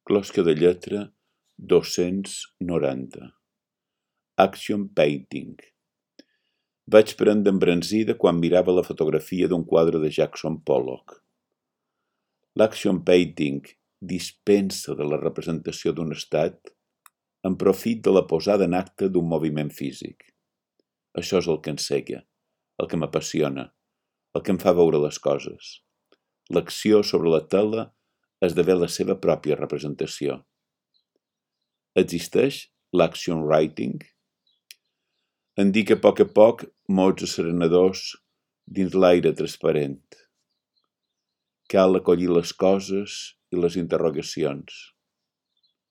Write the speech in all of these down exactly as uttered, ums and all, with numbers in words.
Closca de lletra dos-cents noranta. Action Painting. Vaig prendre embranzida quan mirava la fotografia d'un quadre de Jackson Pollock. L'action painting dispensa de la representació d'un estat en profit de la posada en acte d'un moviment físic. Això és el que encega, el que m'apassiona, el que em fa veure les coses. L'acció sobre la tela esdevé la seva pròpia representació. Existeix l'action writing? En dic a poc a poc mots asserenadors dins l'aire transparent. Cal acollir les coses i les interrogacions,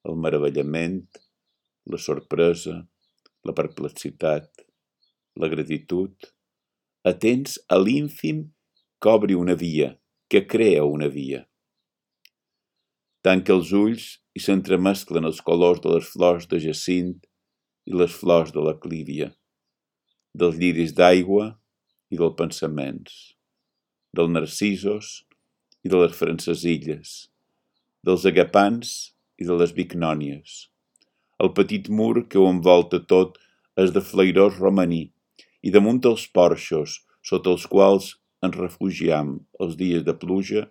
el meravellament, la sorpresa, la perplexitat, la gratitud, atents a l'ínfim que obri una via, que crea una via. Tanca els ulls i s'entremesclen els colors de les flors de jacint i les flors de la clívia, dels lliris d'aigua i dels pensaments, dels narcisos i de les francesilles, dels agapans i de les bignònies. El petit mur que ho envolta tot és de flairós romaní i damunt els porxos, sota els quals ens refugiam els dies de pluja,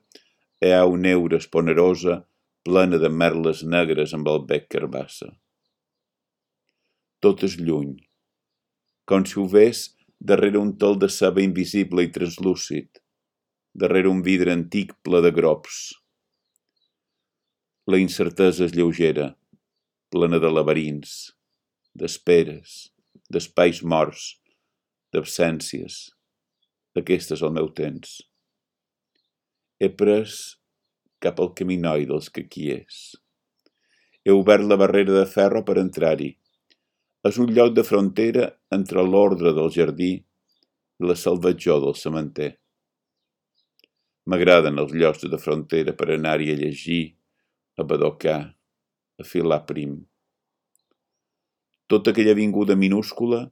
hi ha una heura esponerosa plena de merles negres amb el bec carbassa. Tot és lluny, com si ho ves darrere un tel de ceba invisible i translúcid, darrere un vidre antic ple de grops. La incertesa és lleugera, plena de laberints, d'esperes, d'espais morts, d'absències. Aquest és el meu temps. He pres cap al caminoi dels que aquí és. He obert la barrera de ferro per entrar-hi. És un lloc de frontera entre l'ordre del jardí i la salvatjor del cementer. M'agraden els llocs de frontera per anar-hi a llegir, a badocar, a filar prim. Tota aquella avinguda minúscula,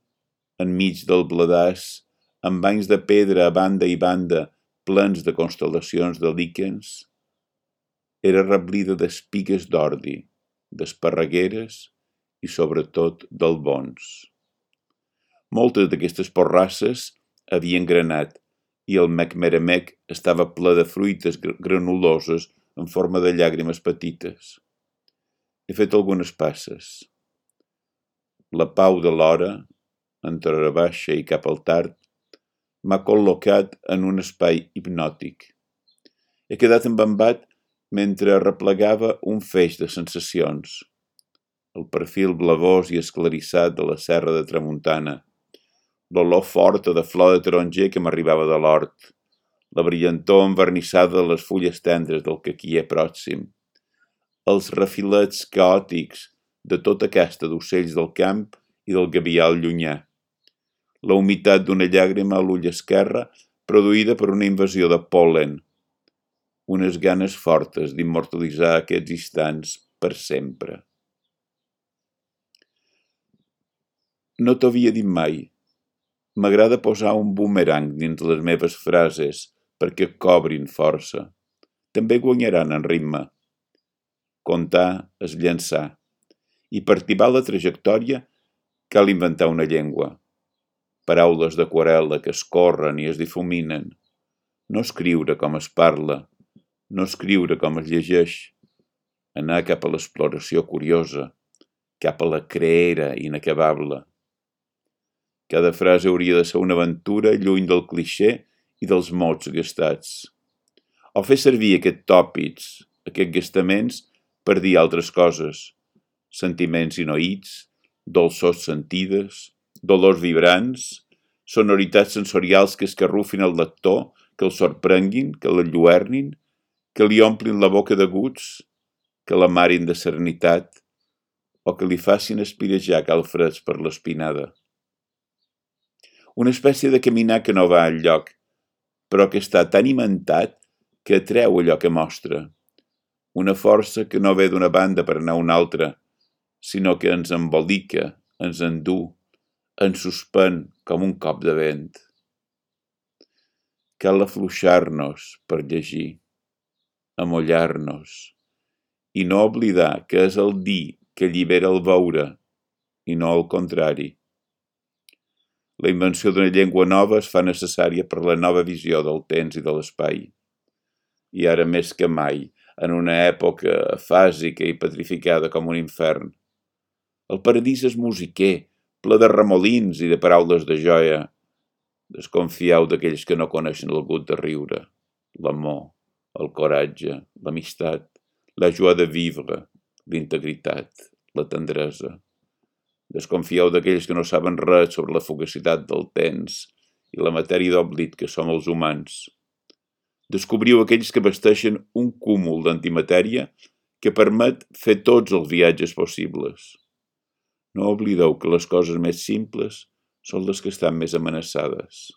enmig del bladàs, amb banys de pedra a banda i banda plens de constel·lacions de líquens, era replida d'espigues d'ordi, d'esparregueres i, sobretot, d'albons. Moltes d'aquestes porrasses havien granat i el mecmeremec estava ple de fruites granuloses en forma de llàgrimes petites. He fet algunes passes. La pau de l'hora, entre hora baixa i cap al tard, m'ha col·locat en un espai hipnòtic. He quedat embambat mentre arreplegava un feix de sensacions. El perfil blavós i esclarissat de la serra de Tramuntana, l'olor forta de flor de taronger que m'arribava de l'hort, la brillantor envernissada de les fulles tendres del caquier pròxim, els refilets caòtics de tota casta d'ocells del camp i del gavial llunyà, la humitat d'una llàgrima a l'ull esquerre produïda per una invasió de pol·len, unes ganes fortes d'immortalitzar aquests instants per sempre. No t'ho havia dit mai. M'agrada posar un bumerang dins les meves frases perquè cobrin força. També guanyaran en ritme. Contar és llançar. I per tibar la trajectòria cal inventar una llengua. Paraules d'aquarel·la que es corren i es difuminen. No escriure com es parla, no escriure com es llegeix. Anar cap a l'exploració curiosa, cap a la creera inacabable. Cada frase hauria de ser una aventura lluny del clixé i dels mots gastats. O fer servir aquests tòpics, aquests gastaments, per dir altres coses. Sentiments inoïts, dolçors sentides, dolors vibrants, sonoritats sensorials que escarrufin el lector, que el sorprenguin, que l'enlluernin, que li omplin la boca de guts, que l'amarin de serenitat o que li facin espirejar calfreds per l'espinada. Una espècie de caminar que no va enlloc, però que està tan imentat que atreu allò que mostra. Una força que no ve d'una banda per anar a una altra, sinó que ens embolica, ens endú, ens suspèn com un cop de vent. Cal afluixar-nos per llegir, amollar-nos i no oblidar que és el dir que allibera el veure i no el contrari. La invenció d'una llengua nova es fa necessària per la nova visió del temps i de l'espai. I ara més que mai, en una època afàsica i petrificada com un infern. El paradís és musiquer, ple de remolins i de paraules de joia. Desconfieu d'aquells que no coneixen el gust de riure, l'amor, el coratge, l'amistat, la joie de vivre, l'integritat, la tendresa. Desconfieu d'aquells que no saben res sobre la fugacitat del temps i la matèria d'oblit que som els humans. Descobriu aquells que vesteixen un cúmul d'antimatèria que permet fer tots els viatges possibles. No oblideu que les coses més simples són les que estan més amenaçades.